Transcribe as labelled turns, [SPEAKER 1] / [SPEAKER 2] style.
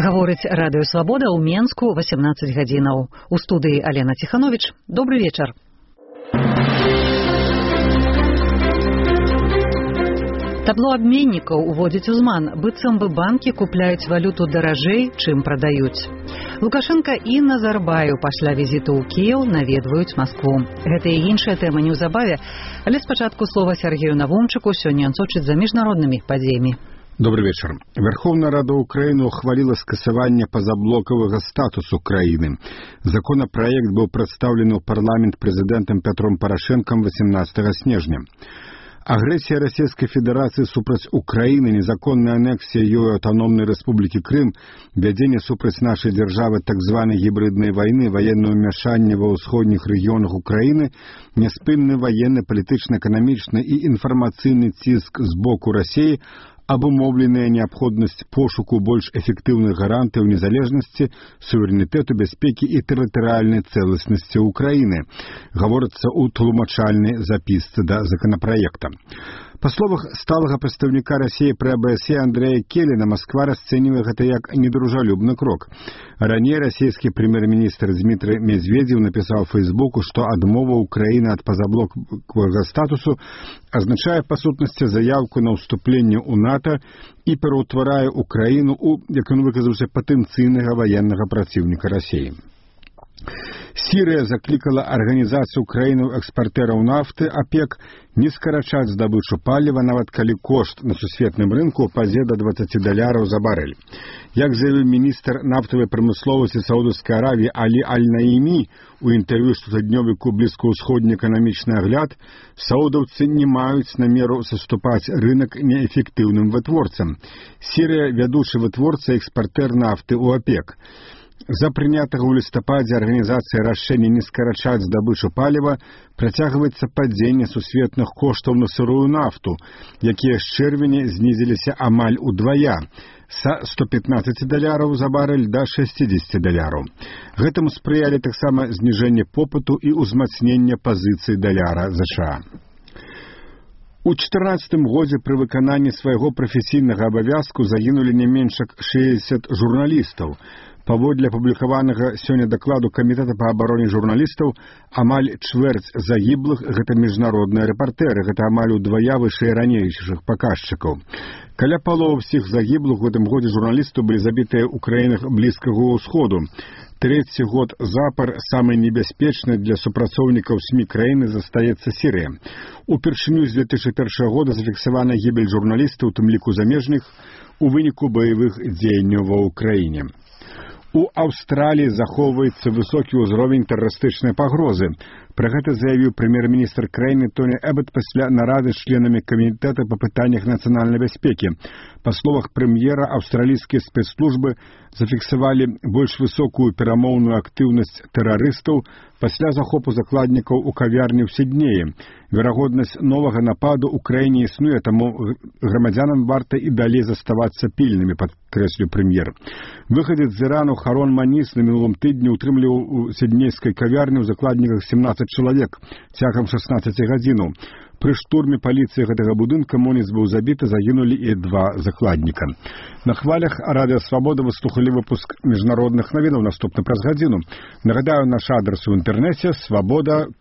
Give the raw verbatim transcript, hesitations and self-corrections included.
[SPEAKER 1] Гаворыць радыё Свабода ў Менску васемнаццаць гадзінаў. У студыі Алена Ціхановіч. Добры вечар. Табло абменнікаў уводзіць узман, быццам бы банкі купляюць валюту даражэй, чым прадаюць. Лукашенка і Назарбаеў пасля візіту ў Кіеў наведваюць Маскву. Гэта і іншая тэма неўзабаве, але спачатку слова Сергею Навумчыку, сёння ён сочыць за міжнароднымі падзеямі.
[SPEAKER 2] Добрый вечер. Верховная Рада Украины ухвалила скасование позаблокового статуса Украины. Законопроект был представлен в парламент президентом Петром Порошенком восемнадцатого снежня. Агрессия Российской Федерации супраць Украины, незаконная аннексия ее автономной республики Крым, введение супраць нашей державы так званой гибридной войны, военное вмешание во усходних регионах Украины, неспынный военный, политично-экономичный и информационный циск с боку России, абумовленая необходимость пошуку больш эффективных гарантов незалежности, суверенитету, бяспеки и территориальной целостности Украины, говорится у тлумачальной записцы до законопроекта. По словах сталага прадстаўніка России при АБСЕ Андрея Келлина, Москва расцэньвае гэта як недружалюбны крок. Ранее российский премьер-министр Дмитрий Медведев написал в Фейсбуку, что адмова Украины от позаблокового статусу означает по сутности заявку на уступление у НАТО и пераўтварае Украину у, як он выказаўся, патэнцыйнага военного противника России. Сирия закликала Организацию краінаў-экспартераў нафты ОПЕК не скарачаць здабычу паліва, нават калі кошт на сусветным рынку упадзе до двадцати даляраў за барэль. Як заявіў міністр нафтавай прамысловасці Саудаўскай Аравіі Алі Аль-Наімі у інтэрв'ю штотыднёвіку блізкаўсходні эканамічны агляд, саудаўцы не маюць намеру саступаць рынок неэфектыўным вытворцам. Сирия вядучы вытворца і экспартер нафты у ОПЕК. За прынятага ў лістападзе арганізацыі рашэння не скарачаць здабычу паліва працягваецца падзенне сусветных коштаў на сырую нафту, якія з чэрвеня знізіліся амаль удвая, са ста пятнаццаці даляраў за барэль да шэсцідзесяці даляраў. Гэтаму спрыялі таксама зніжэнне попыту і ўзмацнення пазіцый даляра ЗША. У чатырнаццатым годзе пры выкананні свайго прафесійнага абавязку загінулі не менш як шэсцьдзесят журналістаў. Паводле апублікаванага сёння дакладу Камітэта па абароне журналістаў, амаль чвэрць загіблых – гэта міжнародныя рэпартэры, гэта амаль удвая вышэй ранейшых паказчыкаў. Каля паловы ўсіх загіблых у гэтым годзе журналістаў былі забітыя ў краінах Блізкага ўсходу. Трэці год запар самы небяспечны для супрацоўнікаў СМІ краіны застаецца Сірыя. Упершыню з две тысячи першага года зафіксавана гібель журналістаў, у тым ліку замежных, у выніку баявых дзеянняў ва ўкраіне. У Аўстраліі захоўваецца высокі ўзровень тэрарыстычнай пагрозы. Пра гэта заявіў прэм'ер-міністр краіны Тоні Эбат пасля нарады з членамі камітэта па пытаннях нацыянальнай бяспекі. Па словах прэм'ера, аўстралійскія спецслужбы зафіксавалі больш высокую перамоўную актыўнасць тэрарыстаў пасля захопу закладнікаў у кавярні ў Сіднеі. Верагоднасць новага нападу ў краіне існуе, таму грамадзянам варта і далей заставацца пільнымі, падкрэсліў прэм'ер. Выхадзец з Ірану Харон Маніс на мінулым тыдні утрымліваў у сіднейскай кавярні ў закладніках сямнаццаць чалавек цягам шаснаццаці гадзінаў. Пры штурме паліцыі гэтага будынка Моніс быў забіты, загінулі і два закладніка. На хвалях Радыё Свабода вы слухалі выпуск міжнародных навінаў, наступны праз гадзіну. Нагадаю, наш адрес у інтэрнэце свабода